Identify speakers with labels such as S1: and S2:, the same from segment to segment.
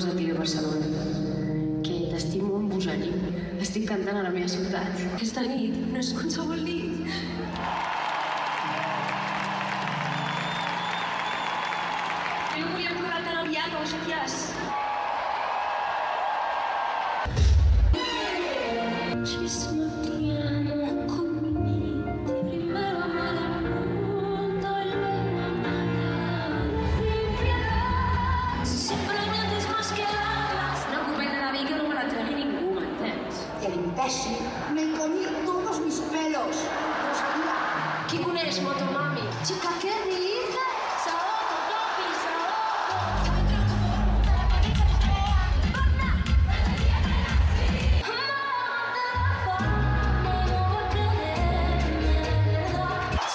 S1: cosa a dir de Barcelona. Que t'estimo amb bogeria. Estic cantant a la meva ciutat. Aquesta nit no és qualsevol nit. Jo volia tornar tan aviat, hòsties.
S2: Me comí todos mis pelos.
S1: ¿Qui coneix Motomami? Chica, ¿qué dices? Saoco, topi,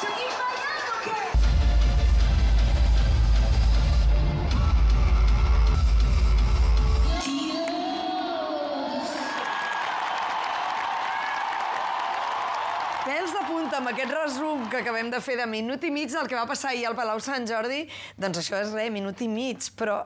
S1: ¿seguís bailando o qué?
S3: Pèls de punta amb aquest resum que acabem de fer de minut i mig del que va passar ahir al Palau Sant Jordi, doncs això és res, minut i mig, però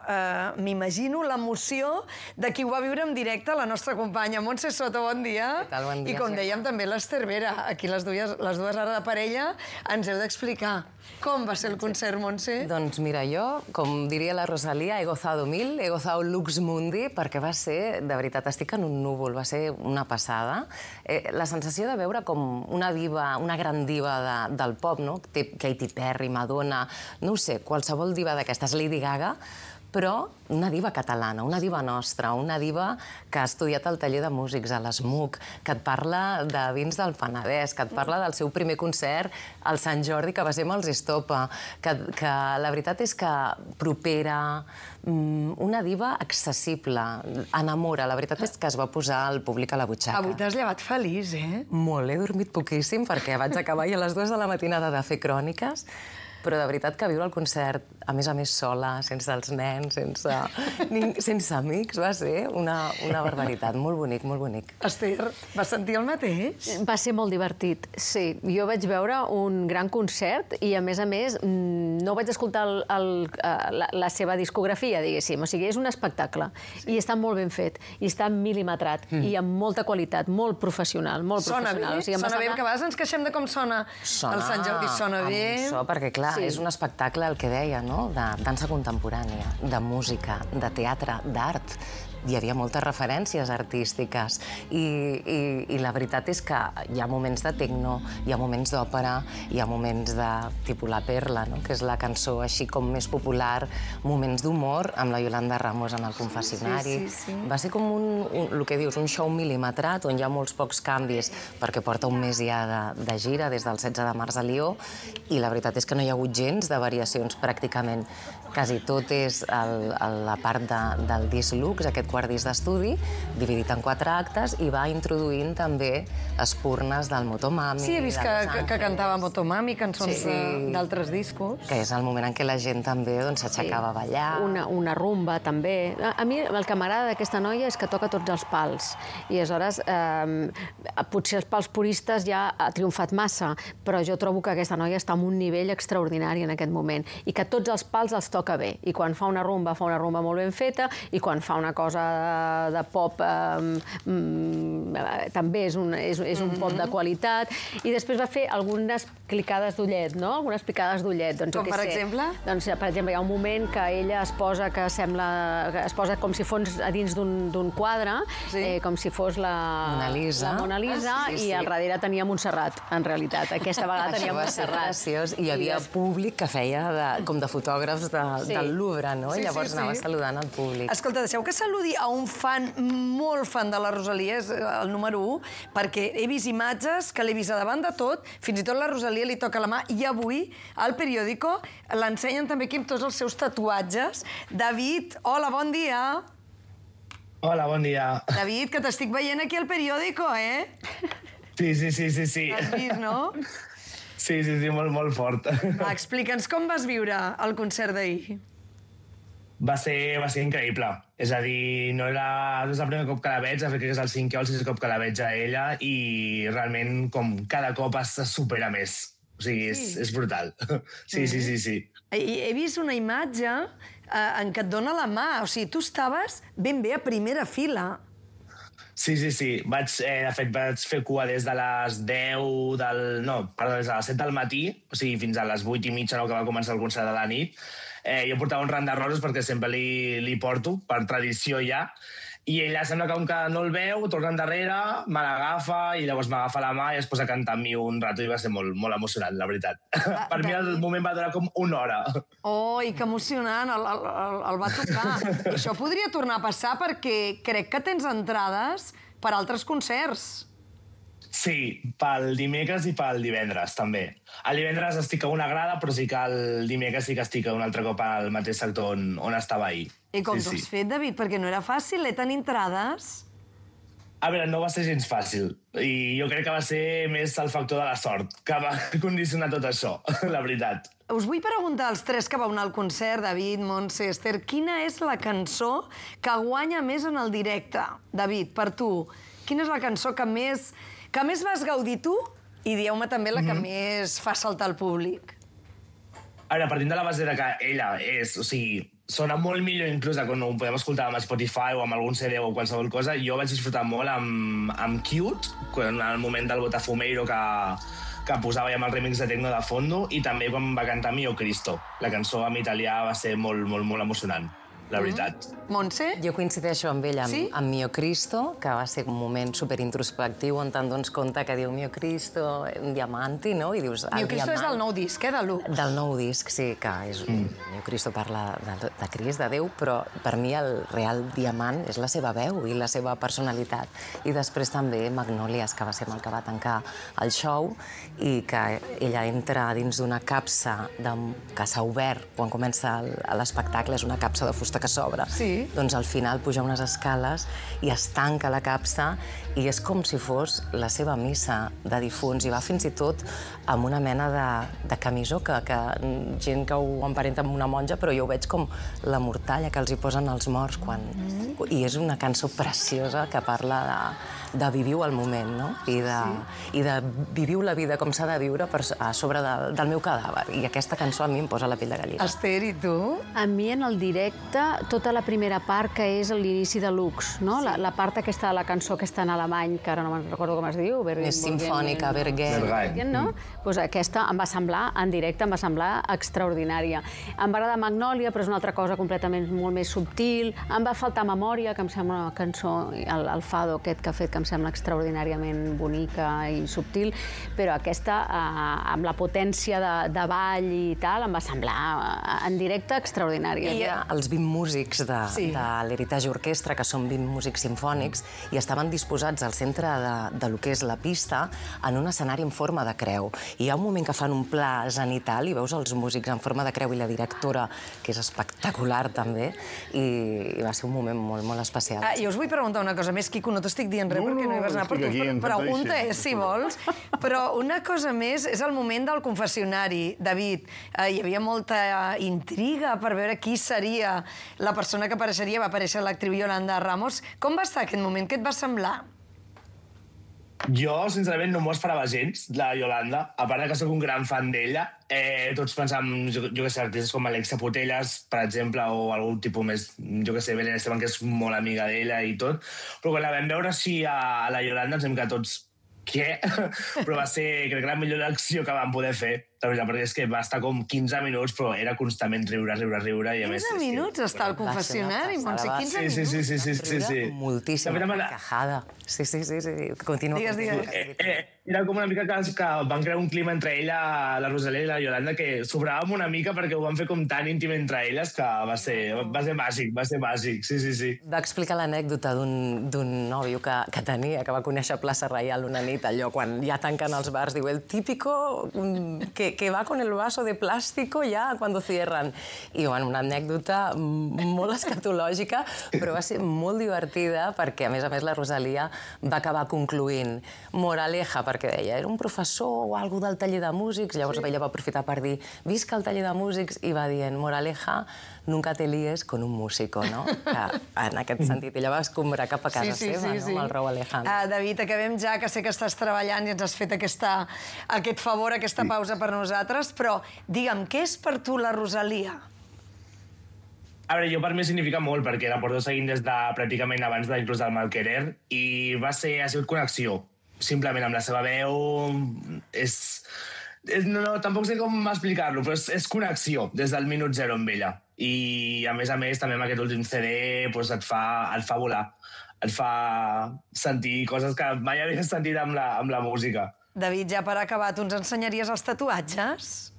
S3: m'imagino l'emoció de qui ho va viure en directe, la nostra companya Montse Soto, bon dia.
S4: Què tal, bon dia.
S3: I com dèiem també l'Ester Vera, aquí les dues ara de parella, ens heu d'explicar com va ser el concert, Montse.
S4: Doncs mira, jo, com diria la Rosalía, he gozado mil, he gozado lux mundi, perquè va ser, de veritat, estic en un núvol, va ser una passada. La sensació de veure com una diva, una gran diva del pop, no? Katy Perry, Madonna, no ho sé, qualsevol diva d'aquestes, Lady Gaga, però una diva catalana, una diva nostra, una diva que ha estudiat al taller de músics, a l'ESMUC, que et parla de vins del Penedès, que et parla del seu primer concert al Sant Jordi, que va ser amb els Estopa, que la veritat és que propera, una diva accessible, enamora. La veritat és que es va posar el públic a la butxaca.
S3: Avui t'has llevat feliç, eh?
S4: Molt, he dormit poquíssim perquè vaig acabar i a les 2 de la matinada de fer cròniques, però de veritat que viure el concert, a més sola, sense els nens, sense amics, va ser una barbaritat. Molt bonic, molt bonic.
S3: Esther, vas sentir el mateix?
S5: Va ser molt divertit, sí. Jo vaig veure un gran concert i, a més, no vaig escoltar la seva discografia, diguéssim. O sigui, és un espectacle. I està molt ben fet, i està mil·limetrat, i amb molta qualitat, molt professional, molt professional.
S3: Sona bé, que a vegades ens queixem de com sona el Sant Jordi. Sona bé.
S4: Perquè, clar, és un espectacle, el que deia, no?, de dansa contemporània, de música, de teatre, d'art. Hi havia moltes referències artístiques i la veritat és que hi ha moments de tecno, hi ha moments d'òpera, hi ha moments de tipus La Perla, no?, que és la cançó així com més popular, moments d'humor amb la Yolanda Ramos en el confessionari. Va ser com el que dius, un show mil·limetrat on hi ha molts pocs canvis perquè porta un mes ja de gira des del 16 de març a Lió i la veritat és que no hi ha hagut gens de variacions pràcticament. Quasi tot és la part del disc Lux, aquest quart disc d'estudi, dividit en 4 actes, i va introduint també espurnes del Motomami.
S3: Sí, he vist que cantava Motomami, cançons d'altres discos.
S4: Que és el moment en què la gent també s'aixecava a ballar.
S5: Una rumba, també. A mi el que m'agrada d'aquesta noia és que toca tots els pals. I aleshores, potser els pals puristes ja ha triomfat massa, però jo trobo que aquesta noia està en un nivell extraordinari en aquest moment. I que tots els pals els toca bé. I quan fa una rumba molt ben feta, i quan fa una cosa de pop també és un pop de qualitat. I després va fer algunes clicades d'ullet, no? Algunes picades d'ullet.
S3: Com per exemple?
S5: Doncs, per exemple, hi ha un moment que ella es posa com si fos a dins d'un quadre, com si fos la Mona Lisa, i al darrere tenia Montserrat, en realitat. Aquesta vegada tenia Montserrat.
S4: Graciós. I hi havia públic que feia com de fotògrafs del Louvre, no? I llavors anava saludant el públic.
S3: Escolta, deixeu que saludi a un fan, molt fan de la Rosalia, és el número 1, perquè he vist imatges que l'he vist a davant de tot, fins i tot la Rosalia li toca la mà, i avui al periòdico l'ensenyen també aquí amb tots els seus tatuatges. David, hola, bon dia.
S6: Hola, bon dia.
S3: David, que t'estic veient aquí al periòdico, eh?
S6: Sí.
S3: Has vist, no?
S6: Sí, molt fort.
S3: Va, explica'ns com vas viure el concert d'ahir.
S6: Va ser increïble. És a dir, no és el primer cop que la veig, crec que és el 5è o el 6è cop que la veig a ella, i realment com cada cop es supera més. O sigui, és brutal. Sí.
S3: He vist una imatge en què et dona la mà. O sigui, tu estaves ben bé a primera fila.
S6: Sí. De fet, vaig fer cua des de les 10 des de les 7 del matí, o sigui, fins a les 8 i mitja, que va començar el concert de la nit. Jo portava un ram de roses perquè sempre li porto, per tradició ja, i ella sembla que com que no el veu, torna endarrere, me l'agafa i llavors m'agafa la mà i es posa a cantar amb mi un rato i va ser molt, molt emocionant, la veritat. Per mi el moment va durar com una hora.
S3: Oh, i que emocionant, el va tocar. I això podria tornar a passar perquè crec que tens entrades per altres concerts.
S6: Sí, pel dimecres i pel divendres, també. El divendres estic a una grada, però sí que el dimecres sí que estic un altre cop al mateix sector on estava ahir.
S3: I com t'ho has fet, David? Perquè no era fàcil, tenir entrades.
S6: A veure, no va ser gens fàcil. I jo crec que va ser més el factor de la sort que va condicionar tot això, la veritat.
S3: Us vull preguntar als tres que vau anar al concert, David, Montse, Esther, quina és la cançó que guanya més en el directe? David, per tu, quina és la cançó que més vas gaudir tu? I dieu-me també la que més fa saltar el públic.
S6: A veure, partint de la base de que ella és, o sigui, sona molt millor inclús quan ho podem escoltar amb Spotify o amb algun CD o qualsevol cosa. Jo vaig disfrutar molt amb Cute, en el moment del Botafumeiro que posava ja amb el remix de Tecno de fondo, i també quan va cantar Mio Cristo. La cançó en italià va ser molt, molt, molt emocionant, la veritat.
S3: Montse?
S4: Jo coincideixo amb ella, amb Mio Cristo, que va ser un moment superintrospectiu on te'n dones compte que diu Mio Cristo, un diamanti, no? I dius,
S3: Mio Cristo és del nou disc, de l'1.
S4: Del nou disc, sí, que és Mio Cristo parla de Crist, de Déu, però per mi el real diamant és la seva veu i la seva personalitat. I després també Magnòlies, que va ser amb el que va tancar el show, i que ella entra dins d'una capsa que s'ha obert quan comença l'espectacle, és una capsa de fusta que s'obre.
S3: Sí.
S4: Doncs al final puja unes escales i es tanca la capsa i és com si fos la seva missa de difunts, i va fins i tot amb una mena de camisó que gent que ho emparenta amb una monja, però jo ho veig com la mortalla que els hi posen als morts quan... I és una cançó preciosa que parla de viviu el moment, no? I de viviu la vida com s'ha de viure a sobre del meu cadàver. I aquesta cançó a mi em posa la pell de gallina.
S3: Esther, i tu?
S5: A mi, en el directe, tota la primera part, que és l'inici de Lux, no? La part aquesta de la cançó que està en alemany, que ara no me'n recordo com es diu.
S4: És simfònica, Bergen.
S5: No? Pues aquesta em va semblar, en directe, em va semblar extraordinària. Em va agradar Magnòlia, però és una altra cosa completament molt més subtil. Em va faltar Memòria, que em sembla una cançó, el fado aquest que ha fet, que em sembla extraordinàriament bonica i subtil, però aquesta, amb la potència de ball i tal, em va semblar en directe extraordinària.
S4: Hi ha els 20 músics de l'Heritage Orquestra, que són 20 músics simfònics, i estaven disposats al centre de lo que és la pista en un escenari en forma de creu. I hi ha un moment que fan un pla zenital i veus els músics en forma de creu i la directora, que és espectacular també, i va ser un moment molt, molt especial.
S3: Jo us vull preguntar una cosa més, Quico, no t'estic dient res perquè no hi vas anar, però tu pregunta si vols. Però una cosa més és el moment del confessionari. David, hi havia molta intriga per veure qui seria la persona que apareixeria. Va aparèixer l'actriu Yolanda Ramos. Com va estar aquest moment? Què et va semblar?
S6: Jo, sincerament, no m'ho esperava gens, la Yolanda. A part que soc un gran fan d'ella, tots pensàvem, jo què sé, artistes com Alexia Putellas, per exemple, o algun tipus més, jo què sé, Belén Esteban, que és molt amiga d'ella i tot. Però quan la vam veure així a la Yolanda ens vam quedar tots... Què? Però va ser, crec que la millor acció que vam poder fer, la veritat, perquè és que va estar com 15 minuts, però era constantment riure, i a més...
S3: 15 minuts està al confessionari, Montse, 15 minuts?
S6: Sí.
S4: Moltíssim, carcajada. Sí. Continua.
S3: Digues.
S6: Era com una mica que van crear un clima entre ella, la Rosalia i la Yolanda, que sobràvem una mica perquè ho van fer com tan íntim entre elles que va ser màgic, sí.
S4: Va explicar l'anècdota d'un nòvio que tenia, que va conèixer a Plaça Reial una nit, allò, quan ja tanquen els bars, diu, el típico que que va con el vaso de plástico ya cuando cierran. I, bueno, una anècdota molt escatològica, però va ser molt divertida perquè, a més, la Rosalia va acabar concluint moraleja, perquè deia, era un professor o algú del taller de músics, llavors ella va aprofitar per dir, visca el taller de músics, i va dient, moraleja, nunca te líes con un músico, no? Que, en aquest sentit, ella va escombrar cap a casa seva, no? Amb el Rau Alejandro.
S3: David, acabem ja, que sé que estàs treballant i ens has fet aquest favor, aquesta pausa per nosaltres, però digue'm, què és per tu la Rosalia?
S6: A veure, jo per mi significa molt, perquè la porto seguint des de pràcticament abans d'inclús del Malquerer, i ha sigut connexió, simplement amb la seva veu, no, tampoc sé com explicar-lo, però és connexió des del minut zero amb ella. I, a més, també amb aquest últim CD et fa volar, et fa sentir coses que mai havies sentit amb la música.
S3: David, ja per acabar, tu ens ensenyaries els tatuatges?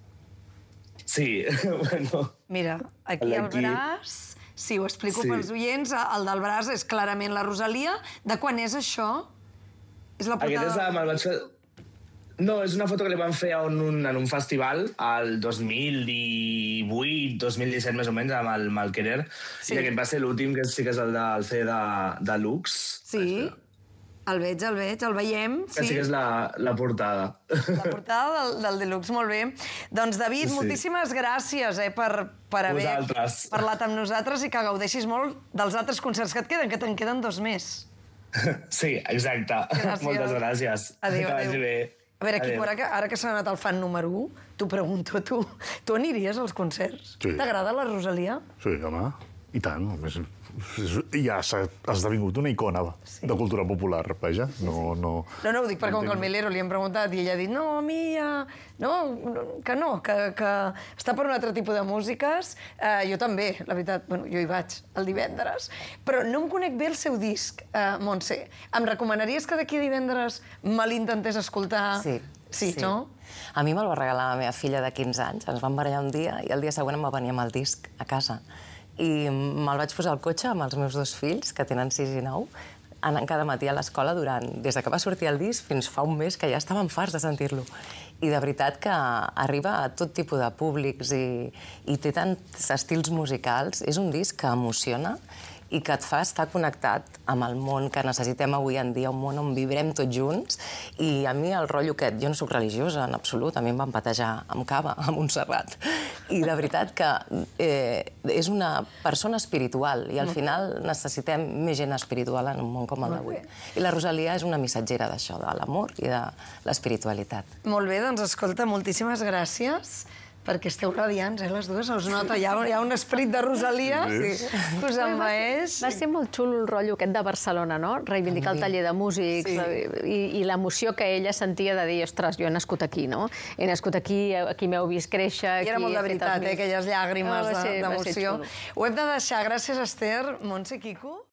S6: Sí, bueno...
S3: Mira, aquí al braç... Sí, ho explico pels oients. El del braç és clarament la Rosalia. De quan és això? És la portada...
S6: Aquest me'l vaig fer... No, és una foto que li van fer en un festival el 2018, 2017 més o menys, amb el Malquerer. I aquest va ser l'últim, que sí que és el del CD de Lux.
S3: Sí, el veig, el veiem.
S6: Que sí que és la portada.
S3: La portada del Deluxe, molt bé. Doncs, David, moltíssimes gràcies per haver parlat amb nosaltres i que gaudeixis molt dels altres concerts que et queden, que te'n queden 2 més.
S6: Sí, exacte. Moltes gràcies.
S3: Adéu,
S6: que vagi bé.
S3: A veure, Quico, ara que s'ha anat el fan número 1, t'ho pregunto, tu aniries als concerts?
S7: Sí.
S3: T'agrada la Rosalia?
S7: Sí, home, i tant. Ja s'ha esdevingut una icona de cultura popular, vaja. No,
S3: ho dic perquè com que al Melero li hem preguntat i ella ha dit no, a mi que està per un altre tipus de músiques. Jo també, la veritat, jo hi vaig el divendres. Però no em conec bé el seu disc, Montse. Em recomanaries que d'aquí a divendres me l'intentés escoltar? Sí, no?
S4: A mi me'l va regalar la meva filla de 15 anys. Ens vam barallar un dia i el dia següent em va venir amb el disc a casa. I me'l vaig posar al cotxe amb els meus 2 fills, que tenen 6 i 9, anant cada matí a l'escola des que va sortir el disc fins fa un mes, que ja estàvem farts de sentir-lo. I de veritat que arriba a tot tipus de públics i té tants estils musicals. És un disc que emociona i que et fa estar connectat amb el món que necessitem avui en dia, un món on vivrem tots junts. I a mi el rotllo aquest, jo no soc religiosa en absolut, a mi em van batejar amb cava a Montserrat. I de veritat que és una persona espiritual i al final necessitem més gent espiritual en un món com el d'avui. I la Rosalia és una missatgera d'això, de l'amor i de l'espiritualitat.
S3: Molt bé, doncs escolta, moltíssimes gràcies. Perquè esteu radiants, les dues, us nota. Hi ha un esperit de Rosalia que us envaeix.
S5: Va ser molt xulo el rotllo aquest de Barcelona, no? Reivindicar el taller de músics i l'emoció que ella sentia de dir, ostres, jo he nascut aquí, no? He nascut aquí, aquí m'heu vist créixer...
S3: I era molt de veritat, aquelles llàgrimes d'emoció. Ho hem de deixar. Gràcies, Esther, Montse, Quico.